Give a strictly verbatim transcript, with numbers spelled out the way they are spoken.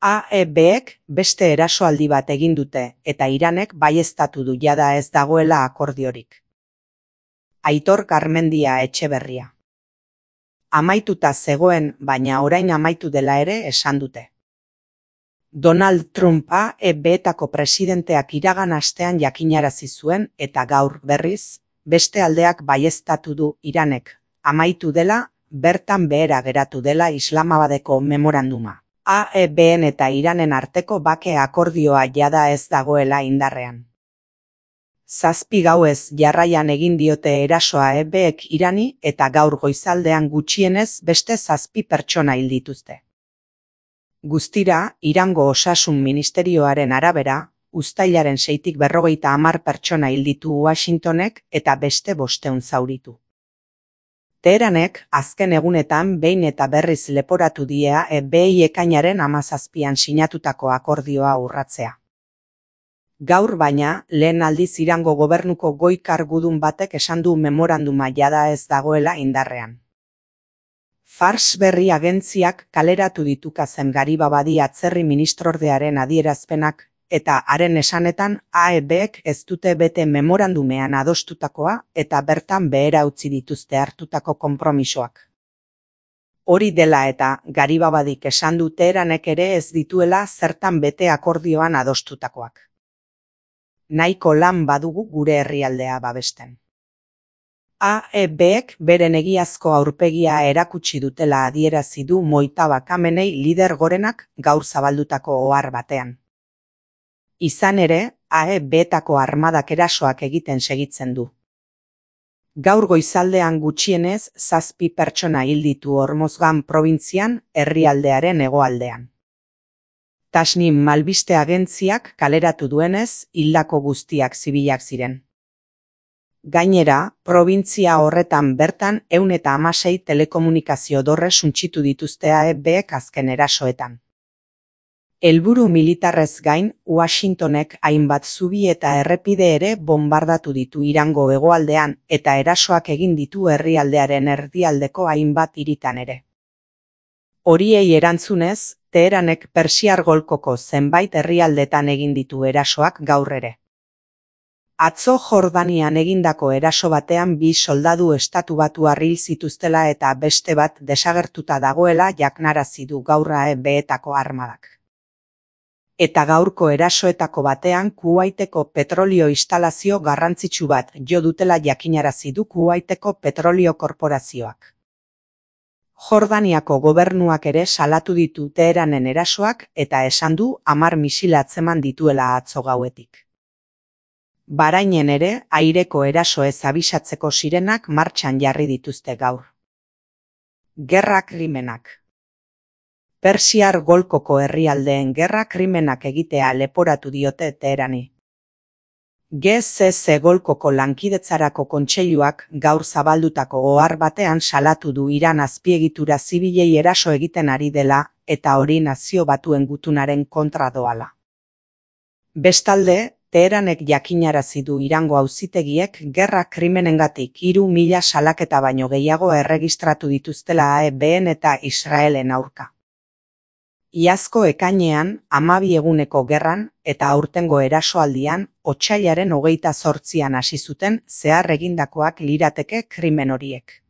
A E Bek beste erasoaldi bat egin dute eta Iranek baieztatu du jada ez dagoela akordiorik. Aitor Garmendia Etxeberria. Amaituta zegoen, baina orain amaitu dela ere esan dute. Donald Trump A E Betako presidenteak iragan astean jakinarazi zuen eta gaur berriz, beste aldeak baieztatu du Iranek amaitu dela, bertan behera geratu dela Islamabadeko memoranduma. A E Ben eta Iranen arteko bake akordioa jada ez dagoela indarrean. Zazpi gauez jarraian egin diote erasoa A E Bek Irani eta gaur goizaldean gutxienez beste zazpi pertsona hil dituzte. Guztira, Irango Osasun Ministerioaren arabera, uztailaren seitik berrogeita hamar pertsona hil ditu Washingtonek eta beste bostehun zauritu. Teheranek azken egunetan behin eta berriz leporatu die A E Bei ekainaren hamazazpian sinatutako akordioa urratzea. Gaur baina, lehen aldiz Irango gobernuko goi kargudun batek esan du memoranduma jada ez dagoela indarrean. Fars berri agentziak kaleratu ditu Kazem Garibabadi atzerri ministrordearen adierazpenak, eta haren esanetan A E Bek ez dute bete memorandumean adostutakoa eta bertan behera utzi dituzte hartutako konpromisoak. Hori dela eta Garibabadik esan du Teheranek ere ez dituela zertan bete akordioan adostutakoak. Nahiko lan badugu gure herrialdea babesten. A E Bek beren egiazko aurpegia erakutsi dutela adierazi du Mojtaba Khamenei lider gorenak gaur zabaldutako ohar batean. Izan ere, A E Betako armadak erasoak egiten segitzen du. Gaur goizaldean gutxienez zazpi pertsona hil ditu Hormozgan probintzian, herrialdearen hegoaldean. Tasnim albiste agentziak kaleratu duenez, hildako guztiak zibilak ziren. Gainera, probintzia horretan bertan ehun eta hamasei telekomunikazio dorre suntsitu dituzte A E Bek azken erasoetan. Helburu militarrez gain, Washingtonek hainbat zubi eta errepide ere bombardatu ditu Irango hegoaldean eta erasoak egin ditu herrialdearen erdialdeko hainbat hiritan ere. Horiei erantzunez, Teheranek Persiar golkoko zenbait herrialdetan egin ditu erasoak gaur ere. Atzo Jordanian egindako eraso batean bi soldadu estatubatuar hil zituztela eta beste bat desagertuta dagoela jaknarazi du gaur A E Betako armadak. Eta gaurko erasoetako batean Kuwaiteko petrolio instalazio garrantzitsu bat jo dutela jakinarazi du Kuwaiteko petrolio korporazioak. Jordaniako gobernuak ere salatu ditu Teheranen erasoak eta esan du hamar misil atzeman dituela atzo gauetik. Bahrainen ere aireko erasoez abisatzeko sirenak martxan jarri dituzte gaur. Gerra krimenak. Persiar golkoko herrialdeen gerra krimenak egitea leporatu diote Teherani. G C C golkoko lankidetzarako kontseiluak gaur zabaldutako ohar batean salatu du Iran azpiegitura zibilei eraso egiten ari dela eta hori Nazio Batuen gutunaren kontra doala. Bestalde, Teheranek jakinarazi du Irango auzitegiek gerra krimenengatik hiru mila salaketa baino gehiago erregistratu dituztela A E Ben eta Israelen aurka. Iazko ekainean, hamabi eguneko gerran eta aurtengo erasoaldian, otsailaren hogeita zortzian hasi zuten zehar egindakoak lirateke krimen horiek.